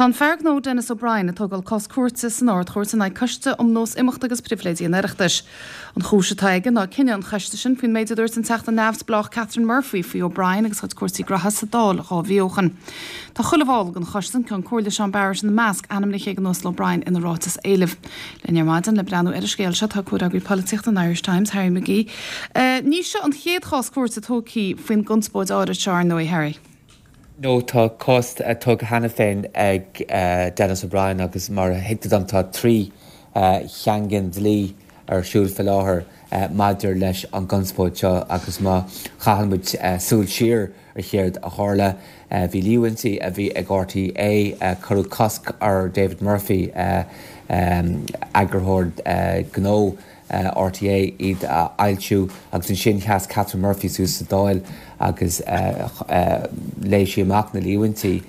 Tá an fear gnó Denis O'Brien ag tógáil cás cúirte san Ard-Chúirt in aghaidh Coiste um Nós Imeachta agus Pribhléidí an Oireachtais. An chúis atá aige ná cinneadh an choiste sin faoin méid a dúirt an Teachta neamhspleách Catherine Murphy faoi O'Brien agus a chuid cúrsaí graithe sa Dáil 2 mhí ó shin. Tá chuile bhall den choiste, an Ceann Comhairle Seán Barrett ina measc, ainmnithe ag an Uasal O'Brien ina ráiteas éilimh. Linn ar maidin le breathnú ar an scéal seo tá comhfhreagraí polaitíochta an Irish Times, Harry McGee. Ní seo an chéad chás cúirte tógtha faoin gconspóid áirid seo, ar ndóigh, Harry. No, tá cás tugtha cheana féin ag Denis O'Brien agus mar a thuigtear dom tá 3 chaingean dlí ar siúl faoi láthair maidir leis an gconspóid seo agus má chaitheann muid súil siar ar chéard a tharla, bhí líomhaintí a bhí ag RTÉ, cuireadh cosc ar David Murphy, eagarthóir gnó, RTÉ iad a fhoilsiú agus ansin sheas Catherine Murphy suas sa Dáil agus léigh sí amach na líomhaintí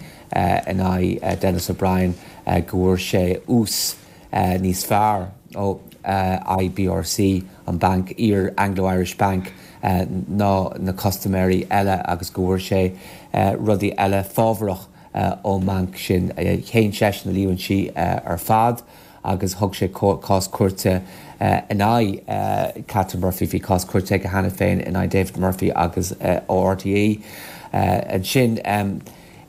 in aghaidh Denis O'Brien go bhfuair sé ús níos fearr ó IBRC, an banc, iar Anglo-Irish Bank, ná na custaiméirí eile agus go bhfuair sé rudaí eile fábharach ón mbanc sin. Shéan seisean na líomhaintí ar fad. agus thug sé cás cúirte in aghaidh Catherine Murphy. Bhí cás cúirte aige cheana féin in aghaidh David Murphy agus ó RTÉ. Ansin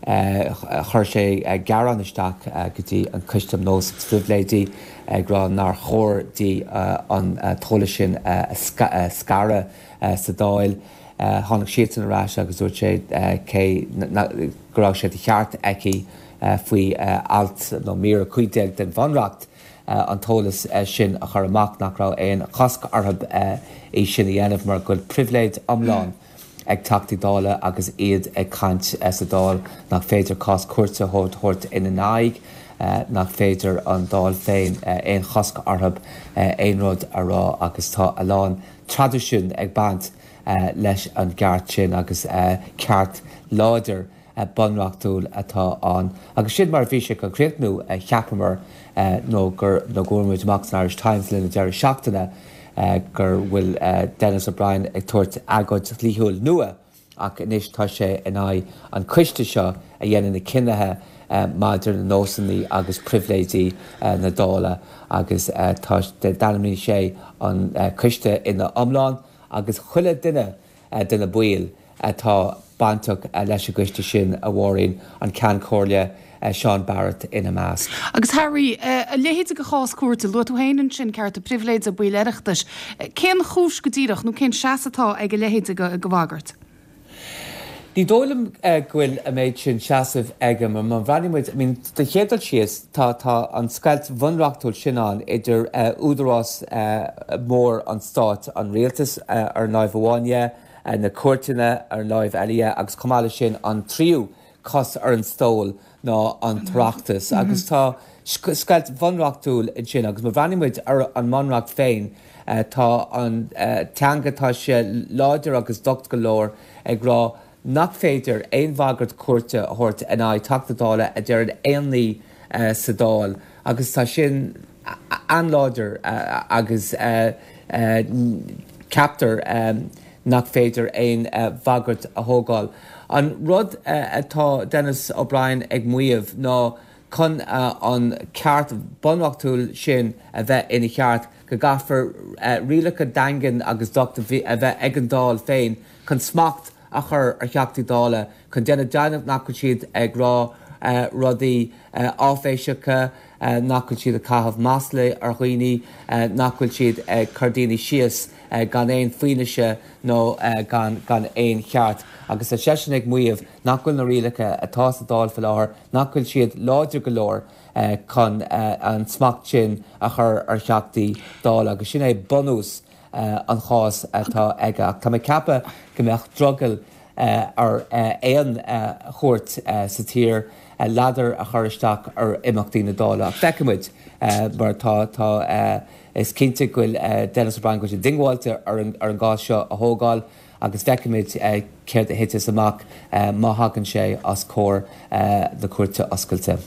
chuir sé gearán isteach go dtí an Coiste um Nós agus Pribhléidí ag rá nár chóir di an t-eolas sin a scaradh sa Dáil. Tháinig siadsan ar ais agus dúirt sé cé go raibh sé de cheart aici faoi alt nó mír 15 den Bhunreacht an t-eolas sin a chur amach, nach raibh aon chosc orthu é sin a dhéanamh mar go bhfuil pribhléid iomlán ag Teachtaí Dála agus iad ag caint sa Dáil, nach féidir cás cúirte a thabhairt ina n-aghaidh, nach féidir an Dáil féin aon chosc orthu aon rud a rá agus tá a lán traidisiún ag baint leis an gceart sin agus ceart láidir bunreachtúil atá ann. Agus sin mar a bhí sé chun críochnú, cheapamar, nó gur nó go bhfuair muid amach san Irish Times le linn an deireadh seachtaine go bhfuil Denis O'Brien ag tabhairt agóid dhlíthiúil nua ach anois tá sé in aghaidh an choiste seo a dhéanann na cinnithe maidir le nósanna agus pribhléidí na Dála agus tá d'ainmnigh sé an coiste ina iomlán agus chuile duine de na baill atá bainteach leis an gcoiste sin, a Mháirín, an Ceann Comhairle Seán Barrett ina measc. Agus Harry, a leithéid de chás cúirte, luaigh tú féin ansin cearta pribhléide baill Oireachtais. Cén chúis go díreach, nó cén seasamh atá ag a leithéid de bhagairt? Ní dóigh liom go bhfuil an méid sin seasaimh aige mar má bhreathnaíonn muid, I mean, don chéad dul síos, tá, tá an scoilt bhunreachtúil sin ann idir údarás mór an stáit, an rialtas ar an láimh amháin dhe, na cúirteanna ar an láimh eile dhe agus chomh maith leis sin an tríú cos ar an stól ná an tOireachtas agus tá scoilt bhunreachtúil ansin agus má bhreathnaíonn muid ar an mBunreacht féin, Tá an teanga, tá sé láidir agus docht go leor ag rá nach féidir aon bhagairt cúirte a thabhairt in aghaidh Teachta Dála a deireann aon ní sa Dáil agus tá sin an-láidir agus ceaptar nach féidir aon bhagairt a thógáil. An rud atá Denis O'Brien ag maíomh ná chun an ceart bunreachtúil sin a bheith ina cheart, go gcaithfear rialacha daingean agus docht a bheith ag an Dáil féin chun smacht a chur ar Theachtaí Dála, chun déanamh deimhneach nach bhfuil siad ag rá rudaí áiféiseacha, nach bhfuil siad ag caitheamh maslaí ar dhaoine, nach bhfuil siad ag cur daoine síos gan aon fianaise nó gan aon cheart. Agus tá seisean ag maíomh nach bhfuil na rialacha atá sa Dáil faoi láthair, nach bhfuil siad láidir go leor chun an smacht sin a chur ar Theachtaí Dála agus sin é bunús an chás atá aige. Ach tá mé ag ceapadh go mbeadh drogall ar aon chúirt sa tír ladar a chur isteach ar imeachtaí na Dála. Ach feicfidh muid mar tá tá is cinnte go bhfuil Denis O'Brien go bhfuil sé diongbháilte ar an gcás seo a thógáil. agus feicfimid céard a thiteas amach má thagann sé os comhair na Cúirte Oscailte.